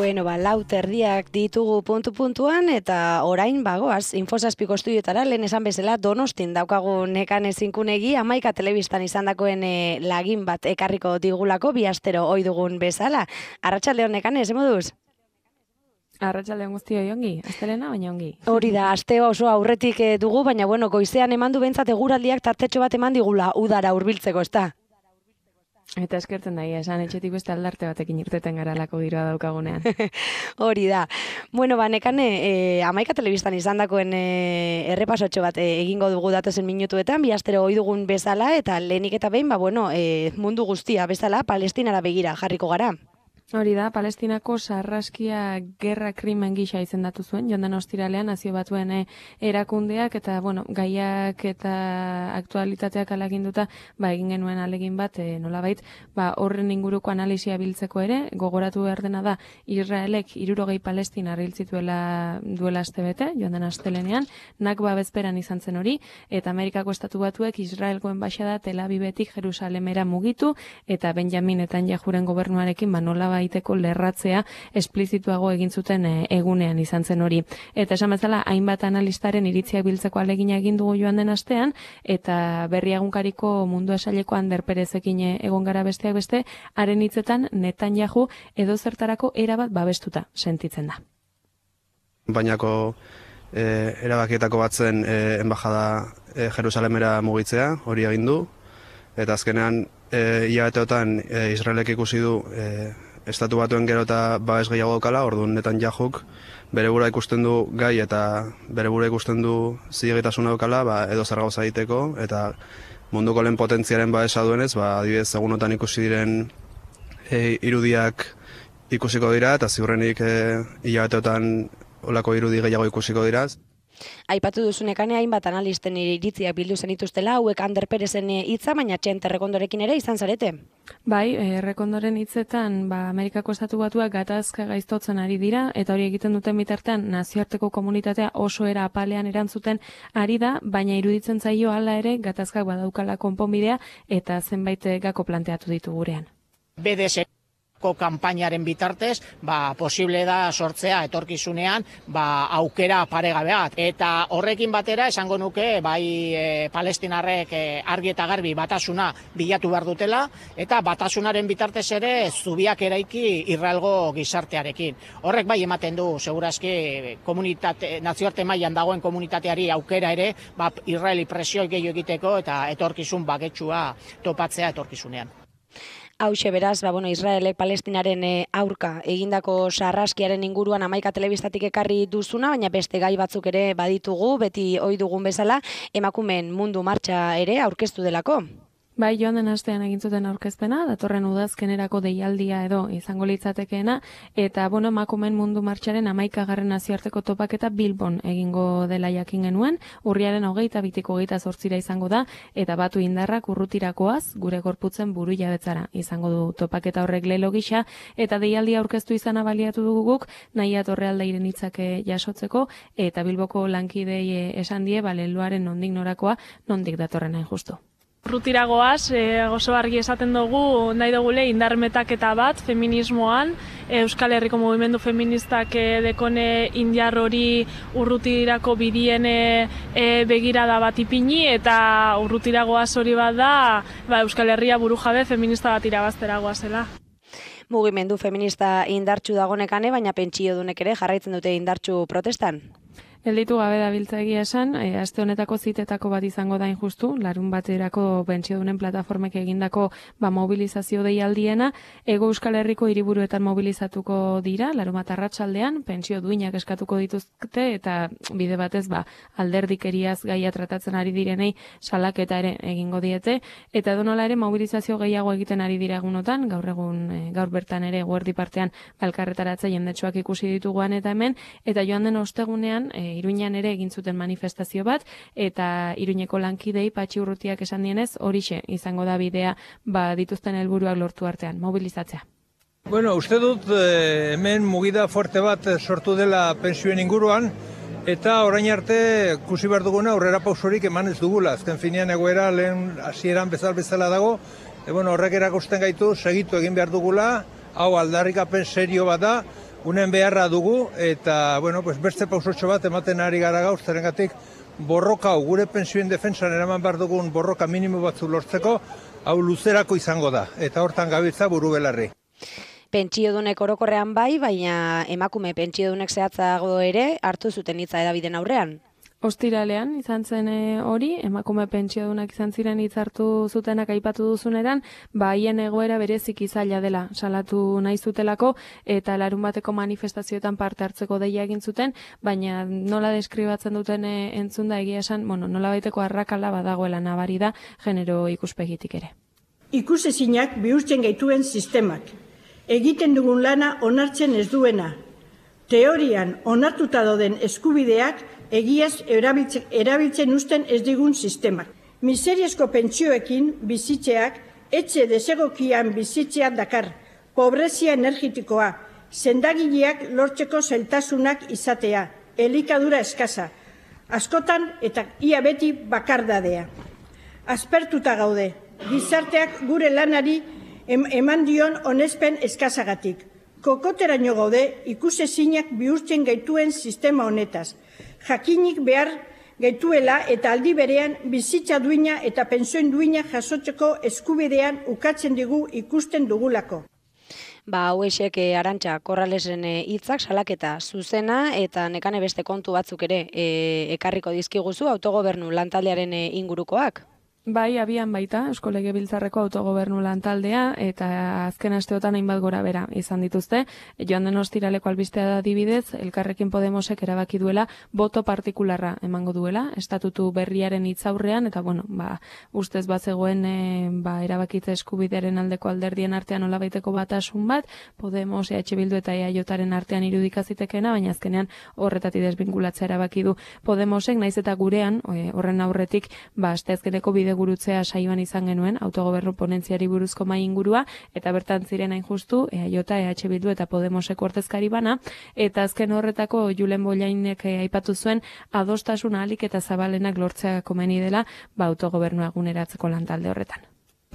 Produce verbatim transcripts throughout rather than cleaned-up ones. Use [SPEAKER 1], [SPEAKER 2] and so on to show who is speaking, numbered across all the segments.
[SPEAKER 1] Bueno, ba, lau terdiak ditugu puntu-puntuan, eta orain bagoaz, Infosazpiko estudioetara, lehen esan bezala, Donostin daukagu Nekane Zinkunegi, Hamaika telebistan izandakoen e, lagin bat ekarriko digulako, bi astero ohi dugun bezala. Arratsaldeon Nekane, ze moduz?
[SPEAKER 2] Arratsaldeon guztioi ongi, astelena baina ongi.
[SPEAKER 1] Hori da, aste oso aurretik e, dugu, baina bueno, goizean eman du bentsat eguraldiak tartetxo bat eman digula udara hurbiltzeko, ezta?
[SPEAKER 2] Eta eskertzen daia, esan etxetik beste aldarte batekin irteten garalako giroa daukagunean.
[SPEAKER 1] Hori da. Bueno, ba, Nekane, e, Hamaika telebistan izandakoen e, errepasotxo bat e, egingo dugu datozen minutuetan, bi astero ohi dugun bezala, eta lehenik eta behin, ba, bueno, e, mundu guztia bezala, Palestinara begira jarriko gara.
[SPEAKER 2] Hori da, Palestinako sarraskia gerra krimen gisa izendatu zuen, joan den ostiralean nazio batuen erakundeak, eta bueno, gaiak eta aktualitateak alaginduta, ba, egin genuen alegin bat, e, nolabait, ba, horren inguruko analisia biltzeko ere, gogoratu behar dena da, Israelek hirurogei Palestinar hil zituela duela astebete, joan den astelenean, Nakba bezperan izan zen hori, eta Amerikako estatu batuek Israelgo enbaxada Tel Avivetik Jerusalemera mugitu, eta Benjamin Netanyahuren gobernuarekin, ba, nolabait, baiteko lerratzea esplizituago egin zuten e, egunean izan zen hori. Eta esan bezala, hainbat analistaren iritziak biltzeko alegina egin dugu joan den astean, eta berri egunkariko mundu esaileko Ander Perezekin egon gara besteak beste, haren hitzetan Netanyahu edo zertarako erabat babestuta sentitzen da.
[SPEAKER 3] Bainako e, erabakietako batzen e, enbajada e, Jerusalemera mugitzea, hori egin du, eta azkenean e, hilabeteotan e, Israelek ikusi du e, Estatu batuen gero eta babes gehiago daukala, orduan Netanyahuk bere burua ikusten du gai eta bere burua ikusten du zilegitasuna daukala, ba, edo zer gauza egiteko, eta munduko lehen potentziaren babesa duenez, ba, adibidez egunotan ikusi diren e, irudiak ikusiko dira, eta ziurrenik e, hilabeteotan olako irudi gehiago ikusiko dira.
[SPEAKER 1] Aipatu duzunekane hainbat analisten iritziak bildu zenituztela, hauek Ander Perezen hitza, baina Txente Errekondorekin ere izan zarete.
[SPEAKER 2] Bai, Errekondoren hitzetan, ba, Amerikako estatu batuak gatazka gaiztotzen ari dira, eta hori egiten duten bitartean nazioarteko komunitatea oso era apalean erantzuten ari da, baina iruditzen zaio hala ere gatazkak badaukala konponbidea, eta zenbait gako planteatu ditu gurean.
[SPEAKER 4] B D S ko kanpainaren bitartez, ba, posible da sortzea etorkizunean, ba, aukera paregabe bat. Eta horrekin batera esango nuke, bai e, palestinarrek e, argi eta garbi batasuna bilatu behar dutela, eta batasunaren bitartez ere zubiak eraiki Israelgo gizartearekin. Horrek bai ematen du, segurazki, komunitate, nazioarte mailan dagoen komunitateari aukera ere, ba, Israeli presioi gehiago egiteko eta etorkizun baketsua topatzea etorkizunean.
[SPEAKER 1] Hauxe beraz, ba, bueno, Israelek Palestinaren e, aurka egindako sarraskiaren inguruan Hamaika telebistatik ekarri duzuna, baina beste gai batzuk ere baditugu, beti ohi dugun bezala, emakumeen mundu martxa ere aurkeztu delako.
[SPEAKER 2] Bai, joan den astean egin zuten aurkezpena, datorren udazkenerako deialdia edo izango litzatekeena, eta bueno, emakumeen mundu martxaren hamaikagarren nazioarteko topaketa Bilbon egingo dela jakin genuen, urriaren hogeita bitiko hogeita zortzira izango da, eta batu indarrak urrutirakoaz, gure gorputzen buru jabetzara izango du topaketa horrek lelo gisa, eta deialdia aurkeztu izana baliatu dugu guk, nahi atorrealdeiren hitzake jasotzeko, eta Bilboko lankidei esan die, baleluaren nondik norakoa, nondik datorren hain justu.
[SPEAKER 5] Rutiragoaz, e, oso argi esaten dugu, nahi dugule indarmetaketa bat feminismoan, e, Euskal Herriko mugimendu feministak e, dekone indiar hori urrutirako bidien e, begirada bat ipini, eta urrutiragoaz hori bat da, ba, Euskal Herria burujabe feminista bat irabazteragoa zela.
[SPEAKER 1] Mugimendu feminista indartsu dago Nekane, baina pentsiodunek ere jarraitzen dute indartsu protestan.
[SPEAKER 2] Gelditu gabe da biltza egia esan, e, aste honetako zitetako bat izango da injustu, larun baterako pentsiodunen plataformek egindako ba, mobilizazio deialdiena, Hego Euskal Herriko hiriburuetan mobilizatuko dira, larun bat arratsaldean, pentsio duinak eskatuko dituzte, eta bide batez ba, alderdikeriaz gaia tratatzen ari direnei salaketa ere egingo diete, eta donola ere mobilizazio gehiago egiten ari dira egunotan, gaur egun, e, gaur bertan ere guerdi partean balkarretaratza jendetsuak ikusi dituguan eta hemen, eta joan den ostegunean, e, Iruñan ere egin zuten manifestazio bat, eta Iruñeko lankidei Patxi Urrutiak esan dienez, horixe izango da bidea ba, dituzten helburuak lortu artean, mobilizatzea.
[SPEAKER 6] Bueno, uste dut eh, hemen mugida fuerte bat sortu dela pentsioen inguruan, eta orain arte ikusi behar duguna aurrera pausorik eman ez dugula. Azken finean egoera lehen hasieran bezal bezala dago, e, bueno, horrek erakusten gaitu segitu egin behar dugula, hau aldarrikapen serio bat da, unen beharra dugu, eta bueno, pues beste pausotxo bat ematen ari gara gaur, zerengatik borroka hau, gure pentsioen defentsan eraman behar dugun borroka minimo batzu lortzeko, hau luzerako izango da, eta hortan gabiltza buru belarri.
[SPEAKER 1] Pentsiodunek orokorrean bai, baina emakume pentsiodunek zehatzago ere hartu zuten hitza hedabideen aurrean.
[SPEAKER 2] Ostiralean izan zen hori, emakume pentsiodunak izan ziren hitz hartu zutenak aipatu duzuneran, ba haien egoera bereziki zaila dela salatu nahi zutelako eta larun bateko manifestazioetan parte hartzeko deia egin zuten, baina nola deskribatzen duten e, entzun da egia esan, bueno, nola baiteko arrakala badagoela nabari da genero ikuspegitik ere.
[SPEAKER 7] Ikusezinak bihurtzen gaituen sistemak, egiten dugun lana onartzen ez duena, teorian onartuta dauden eskubideak egiaz erabiltzen, erabiltzen usten ez digun sistemak. Miseriazko pentsioekin bizitzeak etxe desegokian bizitzea dakar, pobrezia energetikoa, sendagileak lortzeko zailtasunak izatea, elikadura eskasa, askotan eta ia beti bakardadea. Aspertuta gaude, gizarteak gure lanari eman dion onespen eskasagatik. Kokoteraino gaude ikusezinak bihurtzen gaituen sistema honetaz. Jakinik behar gaituela eta aldi berean bizitza duina eta pentsioen duina jasotzeko eskubidean ukatzen digu ikusten dugulako.
[SPEAKER 1] Ba, hauexek e, Arantxa Korralesen hitzak salaketa zuzena eta nekane beste kontu batzuk ere e, ekarriko dizkiguzu autogobernu lantaldearen e, ingurukoak.
[SPEAKER 2] Bai, abian baita, Eusko Legebiltzarreko autogobernu lantaldea eta azken asteotan hainbat gora bera izan dituzte. Joan den ostiraleko albistea da adibidez, Elkarrekin Podemosek erabaki duela boto partikularra emango duela, estatutu berriaren hitzaurrean eta bueno, ba, ustez bazegoen e, ba, erabakitze eskubidearen aldeko alderdien artean nolabaiteko batasun bat, Podemos, E H Bildu eta E A Jaren artean irudikazitekena, baina azkenean horretatik desbinkulatzea erabaki du Podemosek, naiz eta gurean, e, horren aurretik, ba, asteazkeneko bide gurutzea saioan izan genuen autogobernu ponentziari buruzko mai ingurua eta bertan ziren hain justu E A J, E H Bildu eta Podemoseko ordezkari bana eta azken horretako Julen Bollainek aipatu zuen adostasun ahalik eta zabalenak lortzea komeni dela ba autogobernua eguneratzeko lantalde horretan.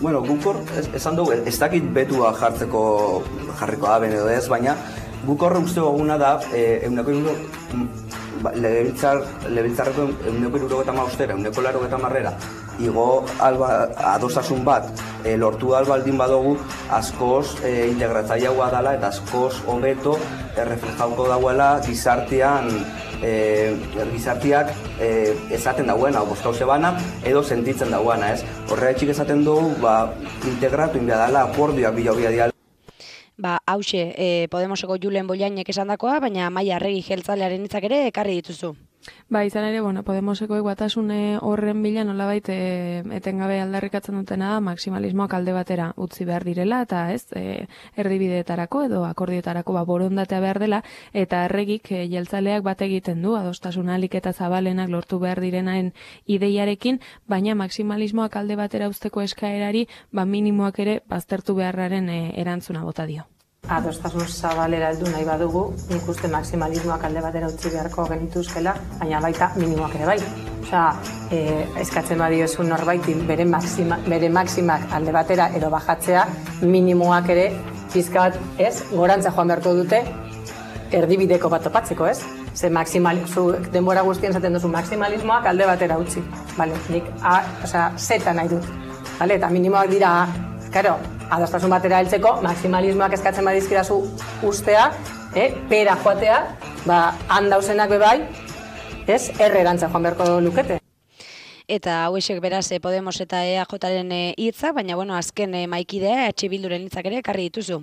[SPEAKER 8] Bueno, guk hor esan dugu, ez dakit betua jartzeko jarriko da ben edo ez, baina guk horre uste goguna da eh, euneko iruro legebiltzar, legebiltzarreko euneko iruro geta maustera, euneko laro geta marrera igo alba, adostasun bat e, lortu albaldin badugu askoz e, integratzaileagoa dela eta askoz hobeto e, reflejauko dauela gizartean e, gizarteak e, esaten dauena, bozkauze bana edo sentitzen dauena, ez? Horregatik esaten dugu, ba, integratu inbia dela, akordioak bila diala.
[SPEAKER 1] Ba, hause, e, Podemoseko Julen Bollainek esandakoa, baina Maia Arregi jeltzalearen hitzak ere ekarri dituzu.
[SPEAKER 2] Ba, izan ere, bueno, Podemoseko batasune horren bila nolabait e, etengabe aldarrikatzen dutena da maksimalismoak alde batera utzi behar direla eta ez, e, erdibideetarako edo akordioetarako ba, borondatea behar dela eta Arregik e, jeltzaleak bat egiten du adostasun ahalik eta zabalenak lortu behar direnaren ideiarekin, baina maksimalismoak alde batera uzteko eskaerari ba, minimoak ere baztertu beharraren e, erantzuna bota dio.
[SPEAKER 9] Adostasun zabalera heldu nahi badugu, nik uste maksimalismoak alde batera utzi beharko genituzkela, baina baita minimoak ere bai. Osea, e, eskatzen badiozu norbaiti bere, maxima, bere maximak alde batera edo bajatzea, minimoak ere pizka bat, ez, gorantza joan beharko dute erdibideko bat topatzeko, ez? Ze maksimalismo, denbora guztien zaten duzu maksimalismoak alde batera utzi. Vale, nik a, osea, zeta nahi dut. Vale, eta minimoak dira a. Karo, adostasun batera heltzeko, maksimalismoak eskatzen badizkirazu ustea, eh, pera joatea, ba, handauzenak bebai, ez, errerantza joan beharko lukete.
[SPEAKER 1] Eta hauexek beraz Podemos eta E A Jaren hitza, baina bueno, azken maikidea E H Bilduren hitzak ere ekarri dituzu.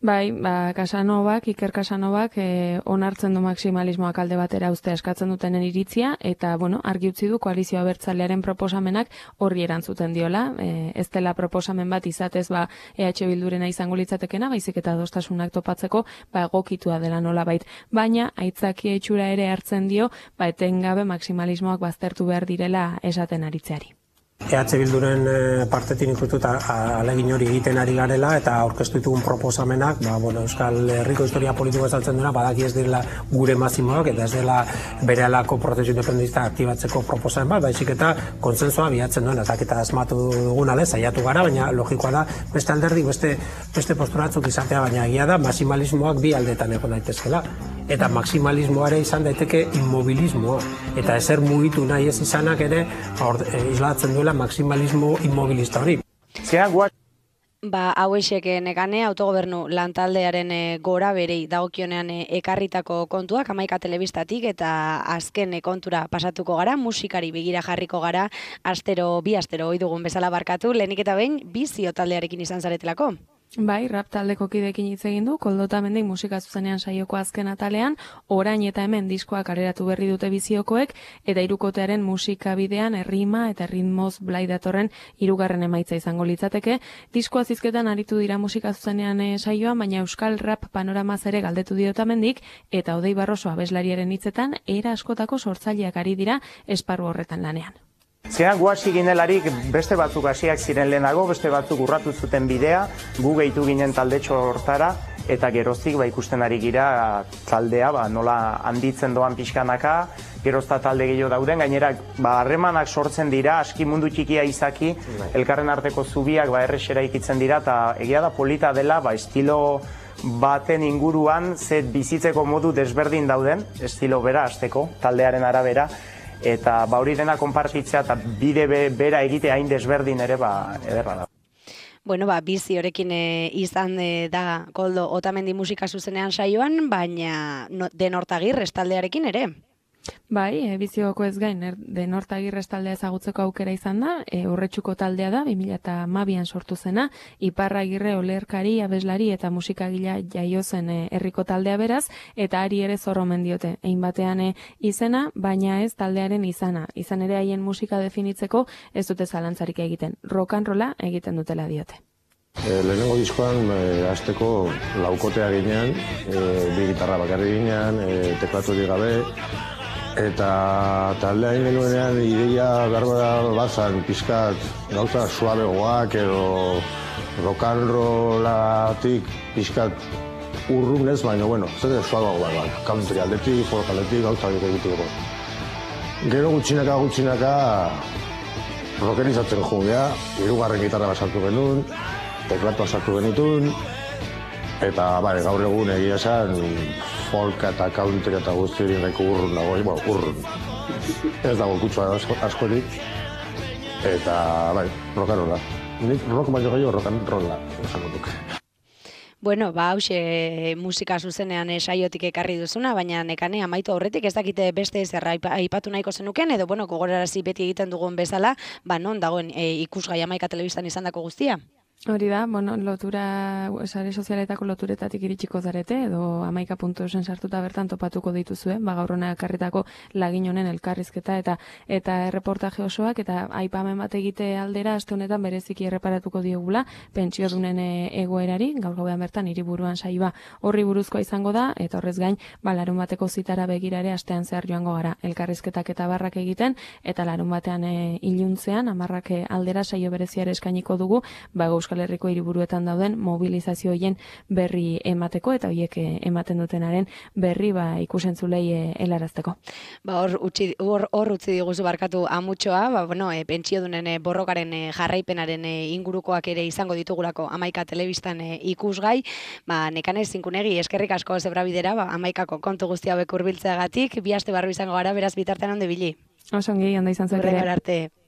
[SPEAKER 2] Bai, ba, Casanovak, Iker Casanovak eh, onartzen du maksimalismoak alde batera uztea eskatzen dutenen iritzia eta, bueno, argi utzi du koalizio abertzalearen proposamenak horri erantzuten diola. Eh, ez dela proposamen bat izatez ba, E H Bildurena izango litzatekena, baizik eta adostasunak topatzeko ba, egokitua dela nolabait. Baina, aitzaki itxura ere hartzen dio, ba, etengabe maksimalismoak baztertu behar direla esaten aritzeari.
[SPEAKER 10] E H Bilduren partetik ikutu eta alegin hori egiten ari garela eta aurkeztu ditugun proposamenak, ba, bueno, Euskal Herriko historia politikoa saltzen duena, badaki ez dela gure mazimoak eta ez dela berehalako prozesu independentista aktibatzeko proposamen bat, baizik eta konsensoa bilatzen duena, ez dakita asmatu duguna lez, saiatu gara, baina logikoa da beste alderdik, beste, beste posturatzuk izatea, baina egia da maximalismoak bi aldetan egon daitezkela. Eta maximalismoa ere izan daiteke immobilismoa. Eta ezer mugitu nahi ez izanak ere islatzen duela maximalismo immobilista hori.
[SPEAKER 1] Ba, hauexek nekane autogobernu lantaldearen gora berei dagokionean ekarritako kontuak Hamaika Telebistatik eta azken kontura pasatuko gara, musikari begira jarriko gara, astero, bi astero ohi dugun bezala barkatu, lehenik eta behin bizio taldearekin izan zaretelako.
[SPEAKER 2] Bai, rap taldeko kidekin hitz egin du, Koldota Mendik musika zuzenean saioko azken atalean, orain eta hemen diskoak areratu berri dute biziokoek, eta hirukotearen musika bidean errima eta ritmoz blai datorren hirugarren emaitza izango litzateke. Diskoa zizketan aritu dira musika zuzenean e, saioan, baina euskal rap panoramaz ere galdetu diota Mendik, eta Odei Barroso abeslariaren hitzetan, era askotako sortzaileak ari dira esparru horretan lanean.
[SPEAKER 11] Zean guasi ginelarik beste batzuk hasiak ziren lehenago, beste batzuk urratu zuten bidea, gu gehitu ginen taldetxo hortara, eta geroztik ba, ikusten ari gira taldea ba, nola handitzen doan pixkanaka, gerozta talde gehiago dauden, gainera ba, harremanak sortzen dira, aski mundu txikia izaki, elkarren arteko zubiak ba, errexera ikitzen dira, eta egia da polita dela, ba, estilo baten inguruan, zet bizitzeko modu desberdin dauden, estilo bera hasteko taldearen arabera, eta ba hori dena konpartitzea eta bide be, bera egite hain desberdin ere ba ederra da.
[SPEAKER 1] Bueno, ba, bizi horekin e, izan e, da Koldo Otamendi musika zuzenean saioan, baina no, Denortagirre taldearekin ere.
[SPEAKER 2] Bai, e, bizioko ez gain, er, Denortagirre taldea ezagutzeko aukera izan da, e, Urretxuko taldea da, bi mila hamabian sortu zena, Iparragirre olerkari, abeslari eta musikagila jaio zen e, herriko taldea beraz, eta ari ere zorromen diote, egin batean e, izena, baina ez taldearen izana. Izan ere haien musika definitzeko ez dute zalantzarik egiten, rock and rolla egiten dutela diote.
[SPEAKER 12] E, lehenengo diskoan e, azteko laukotea ginean, e, bi gitarra bakarri ginean, e, teklaturik gabe, eta taldea egin genuenean ideia behar bazan pizkat gauza suabegoak edo rock and rollatik pizkat urrunez, baina bueno, zer suabegoak bat, country aldetik, folk aldetik, gauza egiteko. Gero gutxinaka gutxinaka rockerizatzen jugea, hirugarren gitarra basartu genuen, teklatua sartu genitun, eta bai, gaur egun egia esan folk eta country eta guztirin nahiko urrun dago, bueno, urrun. Ez dago kutsua askorik, eta bai, rock and rolla. Nik rock baino gehiago rock and rolla, esango duk.
[SPEAKER 1] Bueno, ba, hause musika zuzenean saiotik ekarri duzuna, baina nekane amaitu aurretik ez dakite beste zerra aipatu nahiko zenuken, edo bueno, gogorarazi beti egiten dugun bezala, ba non dagoen e, ikusgai Hamaika Telebistan izandako guztia?
[SPEAKER 2] Hori da, bueno, lotura, sare sozialetako loturetatik iritsiko zarete, edo hamaika puntu eusen sartuta bertan topatuko dituzue, ba gaur hona ekarritako lagin honen elkarrizketa eta eta erreportaje osoak, eta aipamen bat egite aldera, aste honetan bereziki erreparatuko diogula, pentsiodunen egoerari, gaur gauean bertan hiriburuan saioa horri buruzkoa izango da, eta horrez gain, ba larun bateko zitara begirare astean zehar joango gara, elkarrizketak eta barrak egiten, eta larun batean e, iluntzean, amarrak aldera saio bereziare eskainiko dugu, ba Euskal Herriko hiriburuetan dauden mobilizazio hoien berri emateko eta hoiek ematen dutenaren berri ba ikusentzulei helarazteko.
[SPEAKER 1] Ba hor utzi hor hor utzi diguzu barkatu amutxoa, ba bueno, e, pentsiodunen e, borrokaren e, jarraipenaren e, ingurukoak ere izango ditugulako Hamaika Telebistan e, ikusgai. Ba Nekane Zinkunegi eskerrik asko zebrabidera, ba Hamaikako kontu guzti hauek hurbiltzeagatik, bi aste barru izango gara, beraz bitartean ondo ibili.
[SPEAKER 2] Oso ongi, ondo izan zuek ere.
[SPEAKER 1] Hurrengora arte.